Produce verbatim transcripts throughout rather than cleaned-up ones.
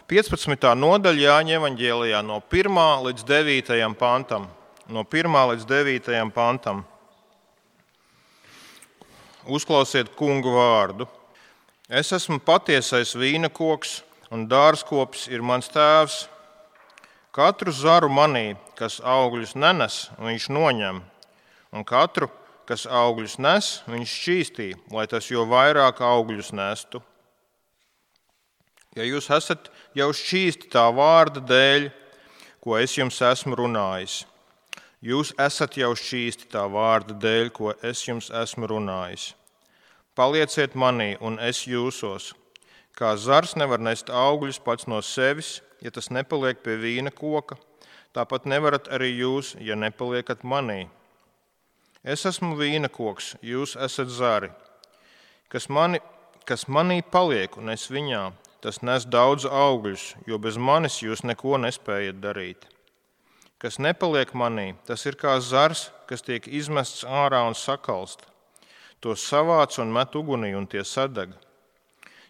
piecpadsmitā nodaļa Jāņa evaņģēlijā no pirmā līdz devītajam pantam. No pirmā līdz devītajam pantam. Uzklausiet kungu vārdu. Es esmu patiesais vīna koks, un dārzkops ir mans tēvs. Katru zaru manī, kas augļus nenes, viņš noņem, un katru, kas augļus nes, viņš šķīstī, lai tas jo vairāk augļus nestu. Ja jūs esat jau šķīsti tā vārda dēļ, ko es jums esmu runājis, jūs esat jau šķīsti tā vārda dēļ, ko es jums esmu runājis. Palieciet manī, un es jūsos. Kā zars nevar nest augļus pats no sevis, ja tas nepaliek pie vīna koka, tāpat nevarat arī jūs, ja nepaliekat manī. Es esmu vīna koks, jūs esat zari. Kas, mani, kas manī paliek un es viņā, tas nes daudz augļus, jo bez manis jūs neko nespējat darīt. Kas nepaliek manī, tas ir kā zars, kas tiek izmests ārā un sakalst. Tos savāc un met ugunī, un tie sadeg.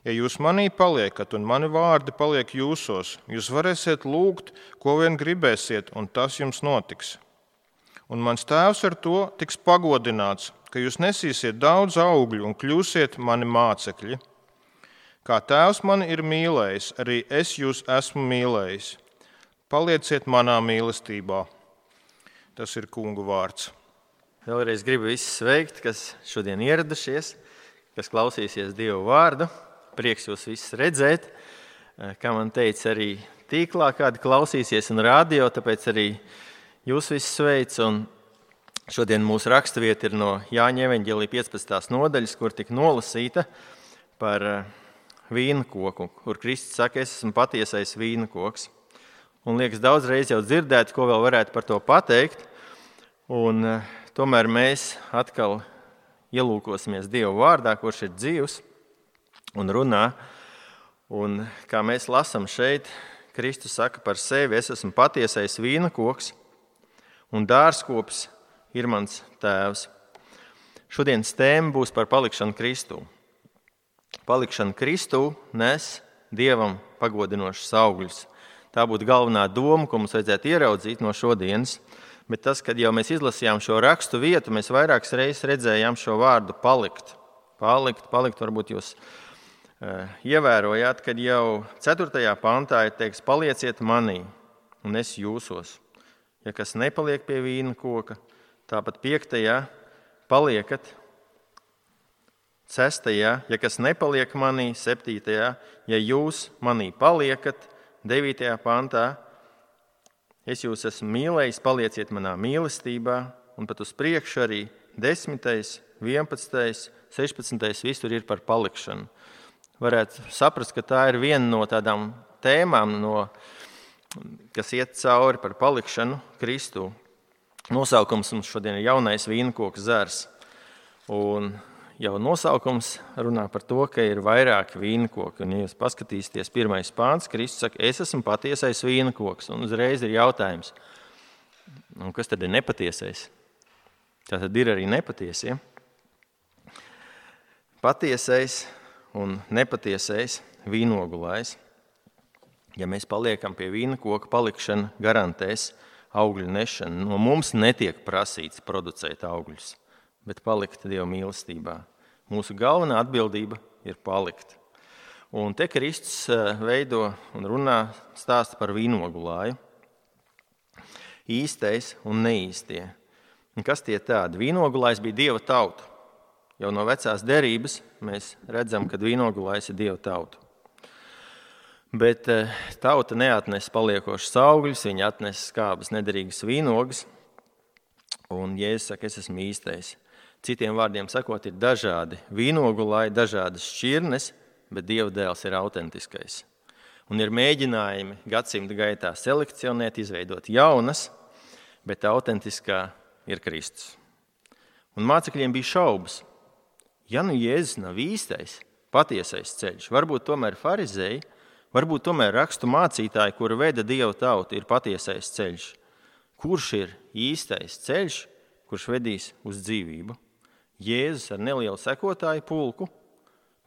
Ja jūs manī paliekat, un mani vārdi paliek jūsos, jūs varēsiet lūgt, ko vien gribēsiet, un tas jums notiks. Un mans tēvs ar to tiks pagodināts, ka jūs nesīsiet daudz augļu un kļūsiet mani mācekļi. Kā tēvs mani ir mīlējis, arī es jūs esmu mīlējis. Palieciet manā mīlestībā. Tas ir kungu vārds. Vēlreiz gribu visus sveikt, kas šodien ieradušies, kas klausīsies Dievu vārdu. Prieks jūs visus redzēt. Kā man teica, arī tīklā kādi klausīsies un radio, tāpēc arī jūs visus sveic. Un šodien mūsu raksturvieta ir no Jāņa evaņģēlija piecpadsmitās nodaļas, kur tika nolasīta par vīna koku, kur Kristus saka, es esmu patiesais vīna koks. Un liekas, daudzreiz jau dzirdēt, ko vēl varētu par to pateikt. Un tomēr mēs atkal ielūkosimies Dievu vārdā, kurš ir dzīvs un runā. Un kā mēs lasām šeit, Kristus saka par sevi, es esmu patiesais vīna koks, un dārzkops ir mans tēvs. Šodienas tēma būs par palikšanu Kristū. Palikšana Kristū nes Dievam pagodinošus augļus. Tā būtu galvenā doma, ko mums vajadzētu ieraudzīt no šodienas. Bet tas, kad jau mēs izlasījām šo rakstu vietu, mēs vairākas reizes redzējām šo vārdu palikt. Palikt, palikt, varbūt jūs uh, ievērojāt, kad jau ceturtajā pantā ir teiks, palieciet manī, un es jūsos. Ja kas nepaliek pie vīna koka, tāpat piektajā paliekat, sestajā, ja kas nepaliek manī, septītajā, ja jūs manī paliekat, devītajā pantā, es jūs esmu mīlējis, palieciet manā mīlestībā, un pat uz priekšu arī desmitais, vienpadsmitais, sešpadsmitais visur ir par palikšanu. Varētu saprast, ka tā ir viena no tādām tēmām, no, kas iet cauri par palikšanu Kristū. Nosaukums mums šodien ir jaunais vīnkoka zars. Un jau nosaukums runā par to, ka ir vairāki vīnkoki. Un, ja jūs paskatīsieties pirmais pāns, Kristus saka, es esmu patiesais vīnkoks. Un uzreiz ir jautājums, un kas tad ir nepatiesais? Tā tad ir arī nepatiesie. Patiesais un nepatiesais vīnogulājs. Ja mēs paliekam pie vīnkoka, palikšana garantēs augļu nešanu. No mums netiek prasīts producēt augļus, bet palikt Dieva mīlestībā. Mūsu galvenā atbildība ir palikt. Un te Kristus veido un runā stāsta par vīnogulāju. Īstais un neīstie. Un kas tie tādi? Vīnogulājs bija Dieva tauta. Jau no vecās derības mēs redzam, ka vīnogulājs ir Dieva tauta. Bet tauta neatnes paliekošas augļus, viņa atnes skābas nederīgas vīnogas. Un Jēzus saka, es esmu īstais. Citiem vārdiem sakot, ir dažādi vīnogulāji, dažādas šķirnes, bet Dieva dēls ir autentiskais. Un ir mēģinājumi gadsimta gaitā selekcionēt, izveidot jaunas, bet autentiskā ir Kristus. Un mācekļiem bija šaubas. Ja nu Jēzus nav īstais, patiesais ceļš, varbūt tomēr farizēji, varbūt tomēr rakstu mācītāji, kuri veda Dieva tautu, ir patiesais ceļš. Kurš ir īstais ceļš, kurš vedīs uz dzīvību? Jēzus ar nelielu sekotāju pulku,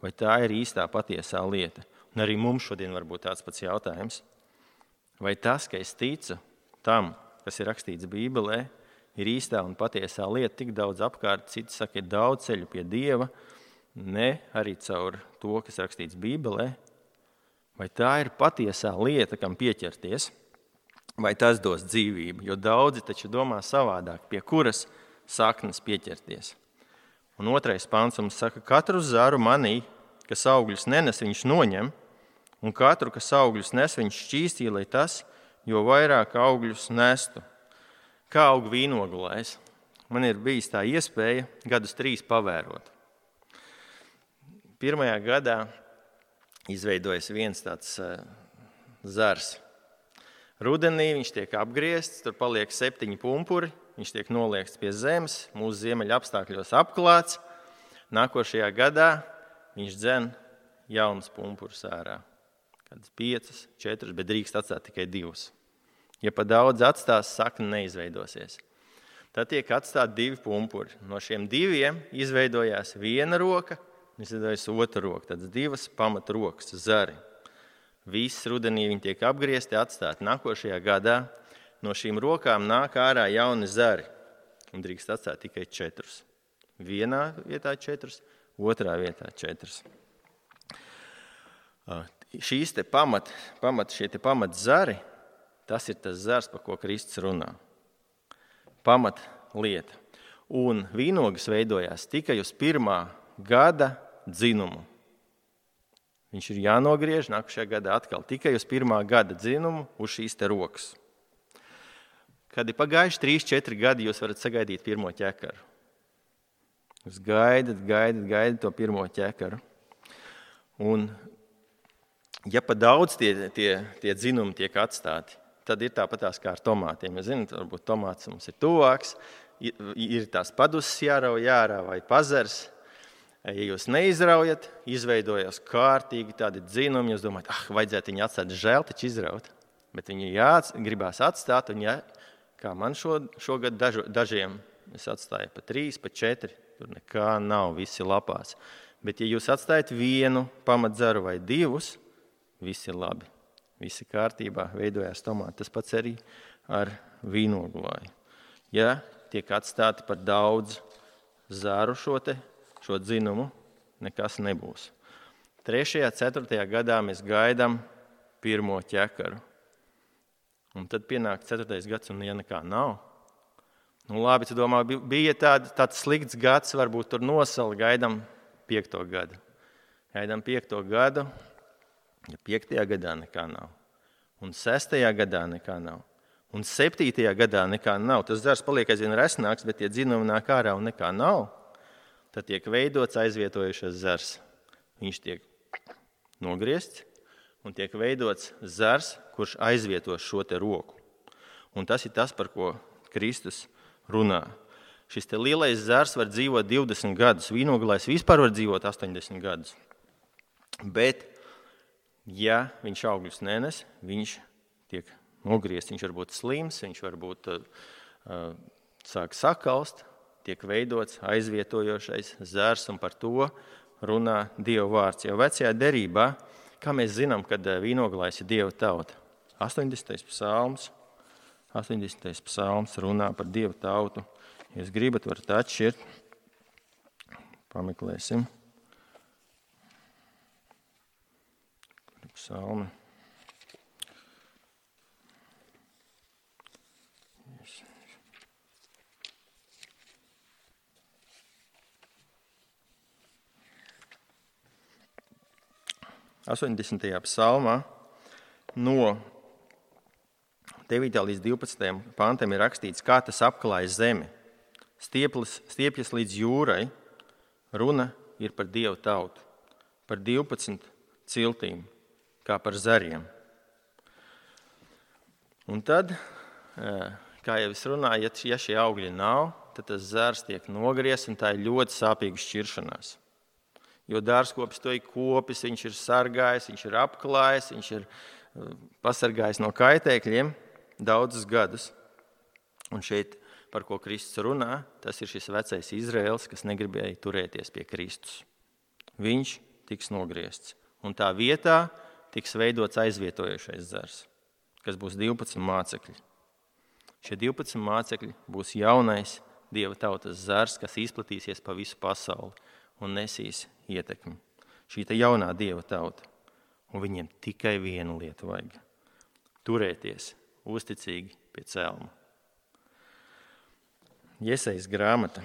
vai tā ir īstā patiesā lieta? Un arī mums šodien var būt tāds pats jautājums. Vai tas, ka es ticu tam, kas ir rakstīts Bībelē, ir īstā un patiesā lieta, tik daudz apkārt, citi saka, ir daudz ceļu pie Dieva, ne arī caur to, kas rakstīts Bībelē, vai tā ir patiesā lieta, kam pieķerties, vai tas dos dzīvību, jo daudzi taču domā savādāk, pie kuras saknes pieķerties. Un otrais pants mums saka, katru zaru manī, kas augļus nenes, viņš noņem, un katru, kas augļus nes, viņš šķīstī, lai tas, jo vairāk augļus nestu. Kā aug vīnogulājs? Man ir bijis tā iespēja gadus trīs pavērot. Pirmajā gadā izveidojas viens tāds uh, zars. Rudenī viņš tiek apgriezts, tur paliek septiņi pumpuri, viņš tiek noliekts pie zemes, mūsu ziemeļa apstākļos apklāts. Nākošajā gadā viņš dzen jaunas pumpurus ārā. Kādas piecas, četras, bet drīkst atstāt tikai divas. Ja pa daudz atstās, sakne neizveidosies. Tad tiek atstāt divi pumpuri. No šiem diviem izveidojās viena roka, izveidojās otra roka. Tad divas pamatrokas, zari. Viss rudenī viņi tiek apgriezti, atstāti. Nākošajā gadā no šīm rokām nāk ārā jauni zari. Un drīkst atstāt tikai četrus. Vienā vietā četrus, otrā vietā četrus. Šīs te pamat, pamat, šie te pamat zari, tas ir tas zars, par ko Kristus runā. Pamat lieta. Un vīnogas veidojās tikai uz pirmā gada dzinumu. Viņš ir jānogriež nākošajā gadā atkal tikai uz pirmā gada dzinumu uz šīs te rokas. Kad ir pagājuši trīs, četri gadi, jūs varat sagaidīt pirmo ķekaru. Jūs gaidat, gaidat, gaidat to pirmo ķekaru. Un ja pa daudz tie, tie, tie dzinumi tiek atstāti, tad ir tāpatās kā ar tomātiem. Jūs zināt, varbūt tomāts mums ir tuvāks, ir tās paduses jārauj ārā vai pazars. Ja jūs neizraujat, izveidojas kārtīgi tādi dzinumi, jūs domājat, ah, vajadzētu viņu atstāt, žēl taču izraut. Bet viņi jāats, gribās atstāt, un ja, kā man šo, šogad dažu, dažiem, es atstāju pa trīs, pa četri, tur nekā nav, visi lapās. Bet ja jūs atstājat vienu pamatzaru vai divus, visi ir labi, visi kārtībā, veidojās tomāti. Tas pats arī ar vīnogulāju. Ja tiek atstāti par daudz zaru šo te, šo dzinumu, nekas nebūs. Trešajā, ceturtajā gadā mēs gaidām pirmo ķekaru. Un tad pienāk ceturtais gads, un ja nekā nav. Nu labi, tu domā, bija tād, tāds slikts gads, varbūt tur nosali, gaidām piekto gadu. Gaidām piekto gadu, ja piektajā gadā nekā nav. Un sestajā gadā nekā nav. Un septītajā gadā nekā nav. Tas zars paliek aizvien resnāks, bet tie dzinumi nāk ārā un nekā nav. Tad tiek veidots aizvietojušais zars. Viņš tiek nogriezts un tiek veidots zars, kurš aizvietos šo te roku. Un tas ir tas, par ko Kristus runā. Šis te lielais zars var dzīvot divdesmit gadus. Vīnogulājs vispār var dzīvot astoņdesmit gadus. Bet, ja viņš augļus nenes, viņš tiek nogriezts. Viņš var būt slims, viņš var būt uh, sāk sakalst, tiek veidots aizvietojošais zars, un par to runā Dieva vārds. Jau vecajā derībā, kā mēs zinām, kad vīnogulājs ir Dieva tauta? astoņdesmitais psalms, astoņdesmitais psalms runā par Dieva tautu. Ja jūs gribat, varat atšķirt. Pameklēsim. Psalmi. astoņdesmitajā psalmā no devītā līdz divpadsmitajam pantam ir rakstīts, kā tas apklāja zemi. Stieplis, stiepjas līdz jūrai, runa ir par Dievu tautu, par divpadsmit ciltīm, kā par zariem. Un tad, kā jau es runāju, ja šie augļi nav, tad tas zars tiek nogriezts, un tā ir ļoti sāpīga šķiršanās. Jo dārzkopis to ir kopis, viņš ir sargājis, viņš ir apklājis, viņš ir pasargājis no kaitēkļiem daudzus gadus. Un šeit, par ko Kristus runā, tas ir šis vecais Izraels, kas negribēja turēties pie Kristus. Viņš tiks nogriezts. un tā vietā tiks veidots aizvietojošais zars, kas būs divpadsmit mācekļi. Šie divpadsmit mācekļi būs jaunais Dieva tautas zars, kas izplatīsies pa visu pasauli un nesīs ietekmi. Šī te jaunā Dieva tauta, un viņiem tikai vienu lietu vajag – turēties uzticīgi pie celma. Jesejas grāmata.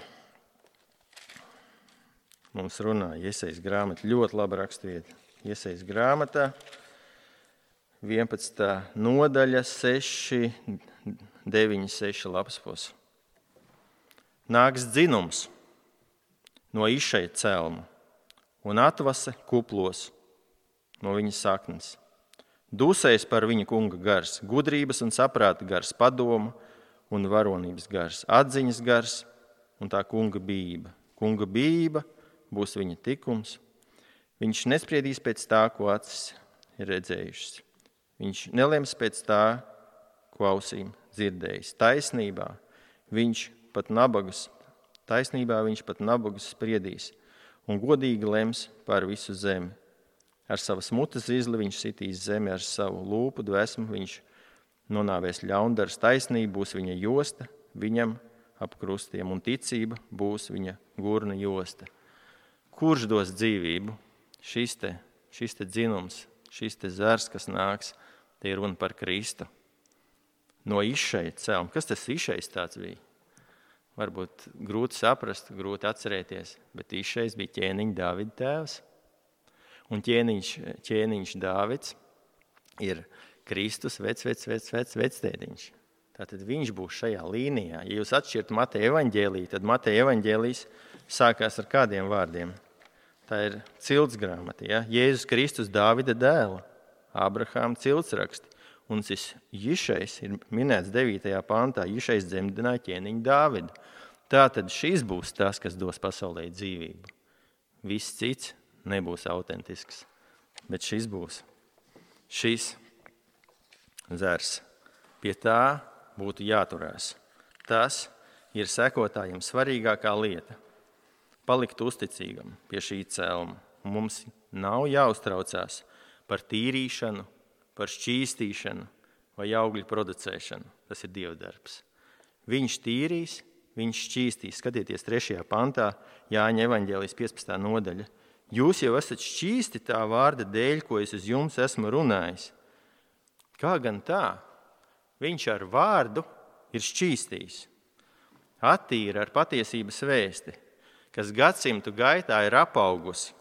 Mums runā Jesejas grāmata, ļoti laba rakstvieta. Jesejas grāmatā, vienpadsmitā nodaļa, seši, deviņi, seši lapspos. Nāks dzinums no Išeja celma un atvase kuplos no viņa saknes. Dusēs par viņa kunga gars, gudrības un saprāta gars, padoma un varonības gars, atziņas gars un tā kunga bijība. Kunga bijība būs viņa tikums. Viņš nespriedīs pēc tā, ko acis ir redzējušas. Viņš nelems pēc tā, ko ausīm dzirdējis. Taisnībā viņš pat nabagus, taisnībā viņš pat nabagus spriedīs un godīgi lems par visu zemi. Ar savas mutes izli viņš sitīs zemi, ar savu lūpu dvēsmu viņš nonāvēs ļaundars. Taisnība būs viņa josta, viņam ap krustiem, un ticība būs viņa gurna josta. Kurš dos dzīvību? Šis te, šis te dzinums, šis te zars, kas nāks, te ir runa par Kristu. No Išeja celma. Kas tas Išejs tāds bija? Varbūt grūti saprast, grūti atcerēties, bet Išejs bija ķēniņa Dāvida tēvs. Un ķēniņš, ķēniņš Dāvids ir Kristus vec, vec, vec, vec, vectētiņš. Tātad viņš būs šajā līnijā. Ja jūs atšķirtu Mateja evaņģēliju, tad Mateja evaņģēlijs sākās ar kādiem vārdiem. Tā ir cilts grāmata, ja? Jēzus Kristus Dāvida dēla, Abrahāma ciltsraksti. Un šis Išejs ir minēts devītajā pantā. Išejs dzemdināja ķēniņu Dāvidu. Tātad šis būs tas, kas dos pasaulē dzīvību. Viss cits nebūs autentisks, bet šis būs. Šis zars. Pie tā būtu jāturās. Tas ir sekotājiem svarīgākā lieta. Palikt uzticīgam pie šī celma. Mums nav jāuztraucās par tīrīšanu, par šķīstīšanu vai augļu producēšanu. Tas ir Dieva darbs. Viņš tīrīs, viņš šķīstīs. Skatieties trešajā pantā, Jāņa evaņģēlijas piecpadsmitā nodaļa. Jūs jau esat šķīsti tā vārda dēļ, ko es uz jums esmu runājis. Kā gan tā? Viņš ar vārdu ir šķīstījis. Attīra ar patiesības vēsti, kas gadsimtu gaitā ir apaugusi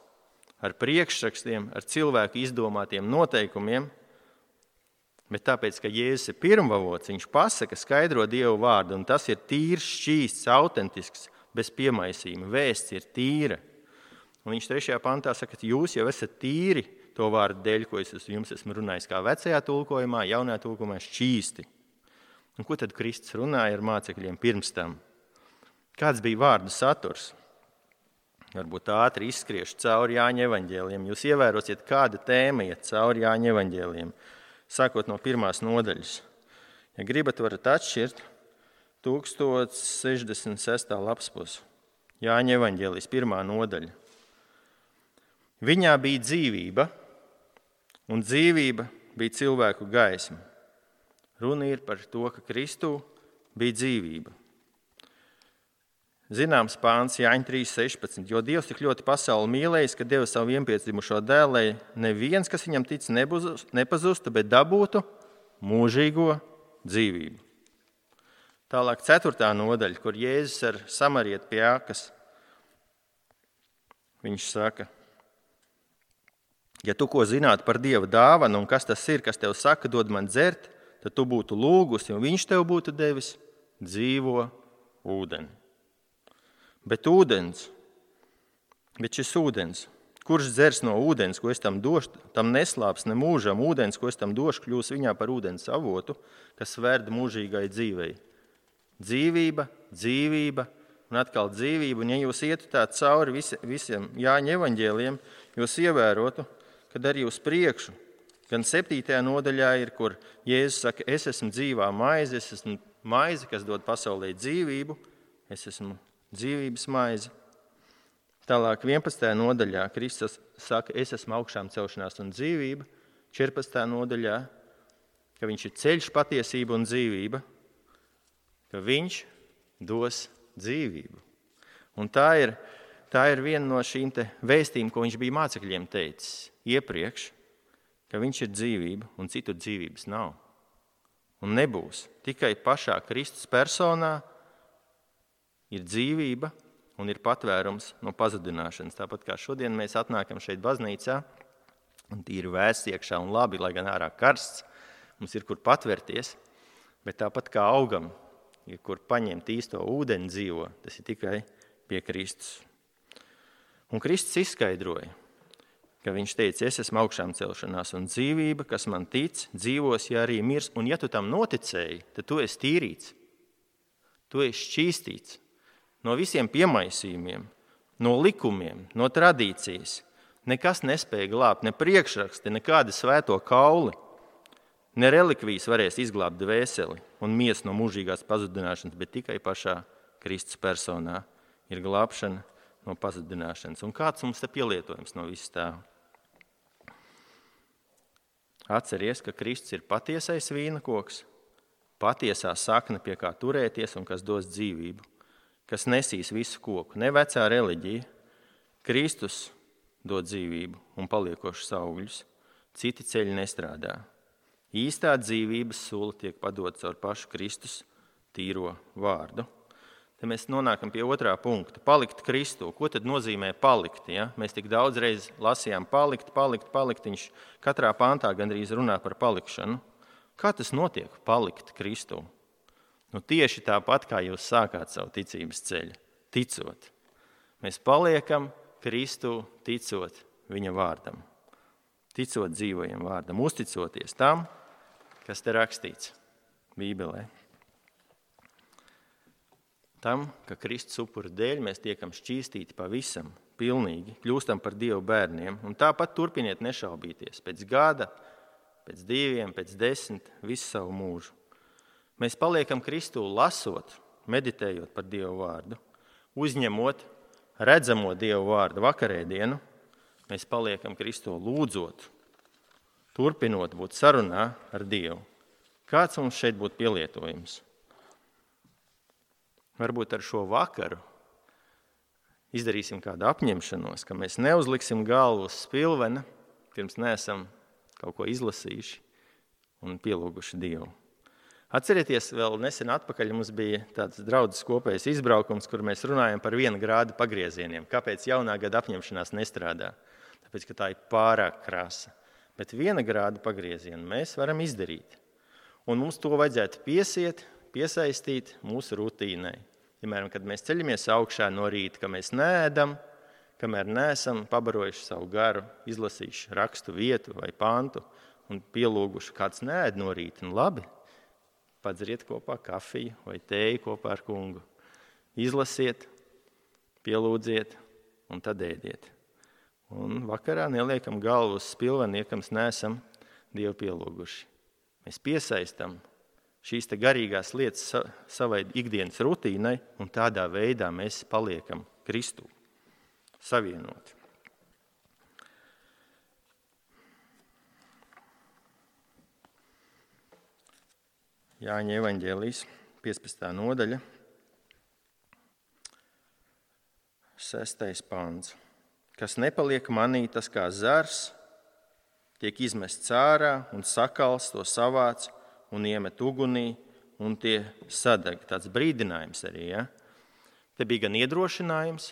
ar priekšrakstiem, ar cilvēku izdomātiem noteikumiem, bet tāpēc, ka Jēzus ir pirmavots, viņš pasaka, skaidro Dievu vārdu, un tas ir tīrs, šķīsts, autentisks, bez piemaisījuma. Vēsts ir tīra. Un viņš trešajā pantā saka, ka jūs jau esat tīri to vārdu dēļ, ko es jums esmu runājis kā vecajā tulkojumā, jaunajā tulkojumā šķīsti. Un ko tad Kristus runāja ar mācekļiem pirms tam? Kāds bija vārdu saturs? Varbūt ātri izskriešu cauri Jāņa evaņģēlijiem. Jūs ievērosiet, kāda tēma iet cauri Jāņa evaņģēlijiem. Sākot no pirmās nodaļas. Ja gribat, varat atšķirt tūkstoš sešdesmit sestā lapspus. Jāņa evaņģēlijas pirmā nodaļa. Viņā bija dzīvība, un dzīvība bija cilvēku gaisma. Runa ir par to, ka Kristū bija dzīvība. Zināms pāns Jāņa trīs sešpadsmit, jo Dievs tik ļoti pasauli mīlējis, ka deva savu vienpiedzimušo dēlu, lai neviens, kas viņam tic, nepazustu, bet dabūtu mūžīgo dzīvību. Tālāk ceturtā nodaļa, kur Jēzus ar samarieti pie ākas. Viņš saka, ja tu ko zinātu par Dieva dāvanu un kas tas ir, kas tev saka, dod man dzert, tad tu būtu lūgusi un viņš tev būtu devis dzīvo ūdeni. Bet ūdens, bet šis ūdens, kurš dzers no ūdens, ko es tam došu, tam neslāps ne mūžam, ūdens, ko es tam došu, kļūs viņā par ūdens avotu, kas verd mūžīgai dzīvei. Dzīvība, dzīvība un atkal dzīvība. Un ja jūs ietu tā cauri visi, visiem Jāņa evaņģēlijiem, jūs ievērotu, kad arī uz priekšu, gan septītajā nodaļā ir, kur Jēzus saka, es esmu dzīvā maize, es esmu maize, kas dod pasaulē dzīvību, es esmu dzīvības maize. Tālāk vienpadsmitajā nodaļā Kristus saka, es esmu augšām celšanās un dzīvība. četrpadsmitajā nodaļā, ka viņš ir ceļš, patiesība un dzīvība, ka viņš dos dzīvību. Un tā ir, tā ir viena no šīm te vēstījumiem, ko viņš bija mācekļiem teicis iepriekš, ka viņš ir dzīvība un citur dzīvības nav. Un nebūs. Tikai pašā Kristus personā ir dzīvība un ir patvērums no pazudināšanas. Tāpat kā šodien mēs atnākam šeit baznīcā, un tīri vēsts iekšā un labi, lai gan ārā karsts, mums ir kur patvērties, bet tāpat kā augam, ir kur paņemt īsto ūdeni dzīvo, tas ir tikai pie Kristus. Un Kristus izskaidroja, ka viņš teica, es esmu augšām celšanās un dzīvība, kas man tic, dzīvos, ja arī mirs, un ja tu tam noticēji, tad tu esi tīrīts, tu esi šķīstīts no visiem piemaisījumiem, no likumiem, no tradīcijas. Nekas nespēja glābt, ne priekšraksti, nekādi svēto kauli, ne relikvijas varēs izglābt dvēseli un miesu no mūžīgās pazudināšanas, bet tikai pašā Kristus personā ir glābšana no pazudināšanas. Un kāds mums te pielietojums no viss tā? Atceries, ka Kristus ir patiesais vīna koks, patiesā sakne, pie kā turēties un kas dos dzīvību, kas nesīs visu koku, ne vecā reliģija. Kristus dod dzīvību un paliekošus augļus, citi ceļi nestrādā. Īstā dzīvības sula tiek padota caur pašu Kristus tīro vārdu. Te mēs nonākam pie otrā punkta. Palikt Kristū. Ko tad nozīmē palikt? Ja? Mēs tik daudz reiz lasījām palikt, palikt, palikt. Viņš katrā pāntā gandrīz runā par palikšanu. Kā tas notiek? Palikt Kristū. Nu, tieši tāpat, kā jūs sākāt savu ticības ceļu. Ticot. Mēs paliekam Kristū ticot viņa vārdam. Ticot dzīvajam vārdam. Uzticoties tam, kas te rakstīts Bībelē. Tam, ka Kristus upura dēļ mēs tiekam šķīstīti pavisam, pilnīgi, kļūstam par Dievu bērniem. Un tāpat turpiniet nešaubīties pēc gada, pēc diviem, pēc desmit, visu savu mūžu. Mēs paliekam Kristū lasot, meditējot par Dievu vārdu, uzņemot redzamo Dievu vārdu vakarēdienu, mēs paliekam Kristū lūdzot, turpinot būt sarunā ar Dievu. Kāds mums šeit būtu pielietojums? Varbūt ar šo vakaru izdarīsim kādu apņemšanos, ka mēs neuzliksim galvu uz spilvena, pirms neesam kaut ko izlasījuši un pielūguši Dievu. Atcerieties, vēl nesen atpakaļ mums bija tāds draudzes kopējs izbraukums, kur mēs runājam par viena grāda pagriezieniem. Kāpēc jaunā gada apņemšanās nestrādā? Tāpēc, ka tā ir pārāk krasa. Bet viena grāda pagriezienu mēs varam izdarīt. Un mums to vajadzētu piesiet, piesaistīt mūsu rutīnai. Piemēram, kad mēs ceļamies augšā no rīta, ka mēs neēdam, kamēr neesam pabarojuši savu garu, izlasījuši rakstu vietu vai pantu un pielūguši, kāds neēd no rīta. Un labi, padzeriet kopā kafiju vai tēju kopā ar kungu. Izlasiet, pielūdziet un tad ēdiet. Un vakarā neliekam galvu uz spilveni, ja mēs neesam Dievu pielūguši. Mēs piesaistam šīs te garīgās lietas savai ikdienas rutīnai, un tādā veidā mēs paliekam Kristū savienoti. Jāņa evaņģēlijas piecpadsmitā nodaļa, sestais pāns. Kas nepaliek manī, tas kā zars, tiek izmests ārā un sakals to savāc un iemet ugunī, un tie sadeg. Tāds brīdinājums arī, ja? Te bija gan iedrošinājums,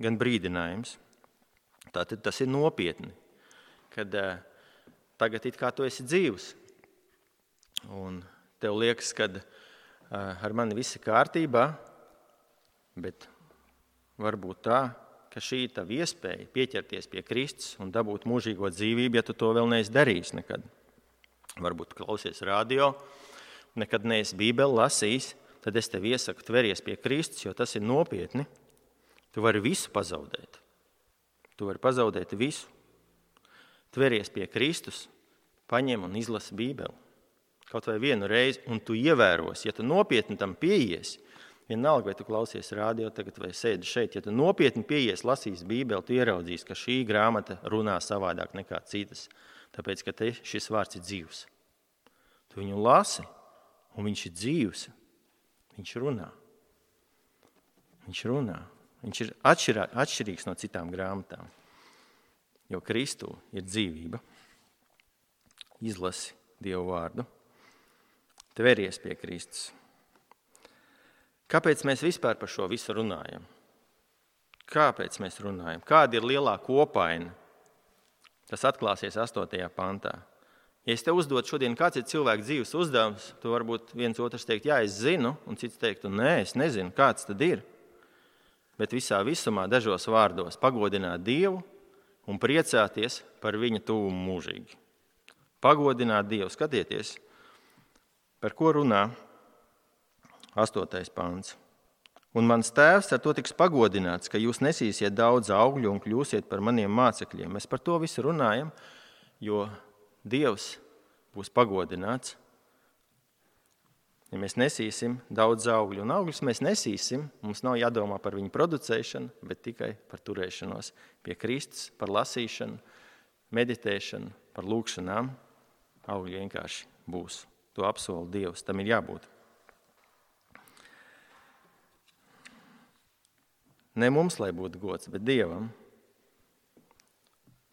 gan brīdinājums. Tātad tas ir nopietni, kad uh, tagad it kā tu esi dzīvs, un tev liekas, ka uh, ar mani viss ir kārtībā, bet varbūt tā, ka šī ir tava iespēja pieķerties pie Kristus un dabūt mūžīgo dzīvību, ja tu to vēl neesi darījis nekad. Varbūt klausies radio, nekad neesi Bībeli lasījis, tad es tev iesaku tveries pie Kristus, jo tas ir nopietni. Tu vari visu pazaudēt. Tu vari pazaudēt visu. Tveries pie Kristus, paņem un izlasi Bībeli. Kaut vai vienu reizi, un tu ievēros, ja tu nopietni tam pieies, Vienalga, vai tu klausies rādio tagad vai sēdi šeit, ja tu nopietni pieies, lasīs Bībeli, tu ieraudzīsi, ka šī grāmata runā savādāk nekā citas, tāpēc, ka te šis vārds ir dzīvs. Tu viņu lasi, un viņš ir dzīvs. Viņš runā. Viņš runā. Viņš ir atšķirā, atšķirīgs no citām grāmatām, jo Kristū ir dzīvība. Izlasi Dievu vārdu, tveries pie Kristus. Kāpēc mēs vispār par šo visu runājam? Kāpēc mēs runājam? Kāda ir lielā kopaina? Tas atklāsies astotajā pantā. Ja es te uzdotu šodien, kāds ir cilvēka dzīves uzdevums, tu varbūt viens otrs teikt, jā, es zinu, un cits teiktu, nē, es nezinu, kāds tad ir. Bet visā visumā dažos vārdos pagodināt Dievu un priecāties par viņa tuvumu mūžīgi. Pagodināt Dievu, skatieties, par ko runā astotais pants. Un mans tēvs ar to tiks pagodināts, ka jūs nesīsiet daudz augļu un kļūsiet par maniem mācekļiem. Mēs par to visu runājam, jo Dievs būs pagodināts. Ja mēs nesīsim daudz augļu, un augļus mēs nesīsim, mums nav jādomā par viņu producēšanu, bet tikai par turēšanos pie Kristus, par lasīšanu, meditēšanu, par lūkšanām. Augļi vienkārši būs. To apsola Dievs, tam ir jābūt. Ne mums, lai būtu gods, bet Dievam.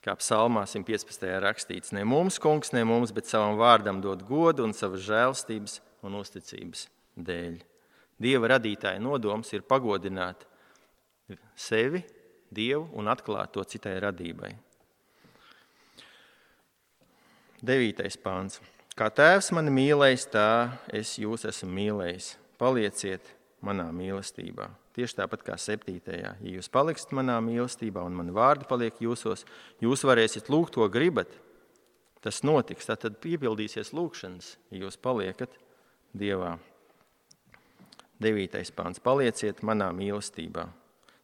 Kā psalmā simt piecpadsmitajā rakstīts, ne mums, kungs, ne mums, bet savam vārdam dod godu un savas žēlstības un uzticības dēļ. Dieva radītāja nodoms ir pagodināt sevi, Dievu un atklāt to citai radībai. Devītais pāns. Kā tēvs mani mīlējis, tā es jūs esmu mīlējis. Palieciet manā mīlestībā. Tieši tāpat kā septītajā. Ja jūs paliksiet manā mīlestībā un mani vārdi paliek jūsos, jūs varēsiet lūgt, ko gribat. Tas notiks, tad piepildīsies lūgšanas, ja jūs paliekat Dievā. Devītais pāns. Palieciet manā mīlestībā.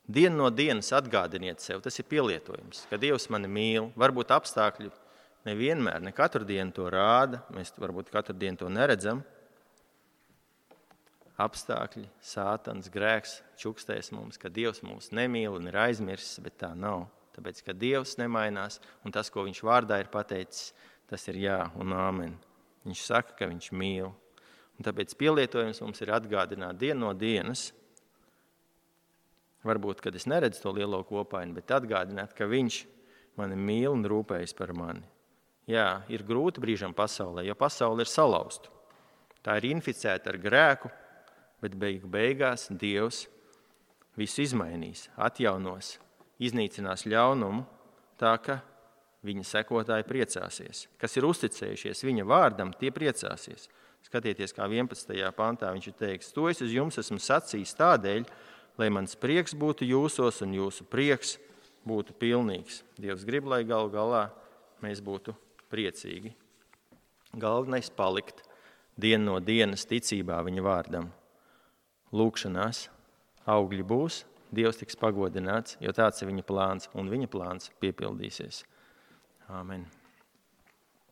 Dienu no dienas atgādiniet sev, tas ir pielietojums, ka Dievs mani mīl. Varbūt apstākļi nevienmēr, ne katru dienu to rāda, mēs varbūt katru dienu to neredzam. Apstākļi, sātans, grēks čukstēs mums, ka Dievs mūs nemīl un ir aizmirsis, bet tā nav. Tāpēc, ka Dievs nemainās un tas, ko viņš vārdā ir pateicis, tas ir jā un āmen. Viņš saka, ka viņš mīl. Un tāpēc pielietojums mums ir atgādināt dienu no dienas. Varbūt, kad es neredzu to lielo kopainu, bet atgādināt, ka viņš mani mīl un rūpējas par mani. Jā, ir grūti brīžam pasaulē, jo pasaule ir salauzta. Tā ir inficēta ar grēku, bet beigu beigās Dievs visu izmainīs, atjaunos, iznīcinās ļaunumu, tā ka viņa sekotāji priecāsies. Kas ir uzticējušies viņa vārdam, tie priecāsies. Skatieties, kā vienpadsmitajā pantā viņš ir teiks, to es uz jums esmu sacījis tādēļ, lai mans prieks būtu jūsos un jūsu prieks būtu pilnīgs. Dievs grib, lai galu galā mēs būtu priecīgi. Galvenais palikt dienu no dienas ticībā viņa vārdam. Lūkšanās augļi būs, Dievs tiks pagodināts, jo tāds ir viņa plāns, un viņa plāns piepildīsies. Āmen.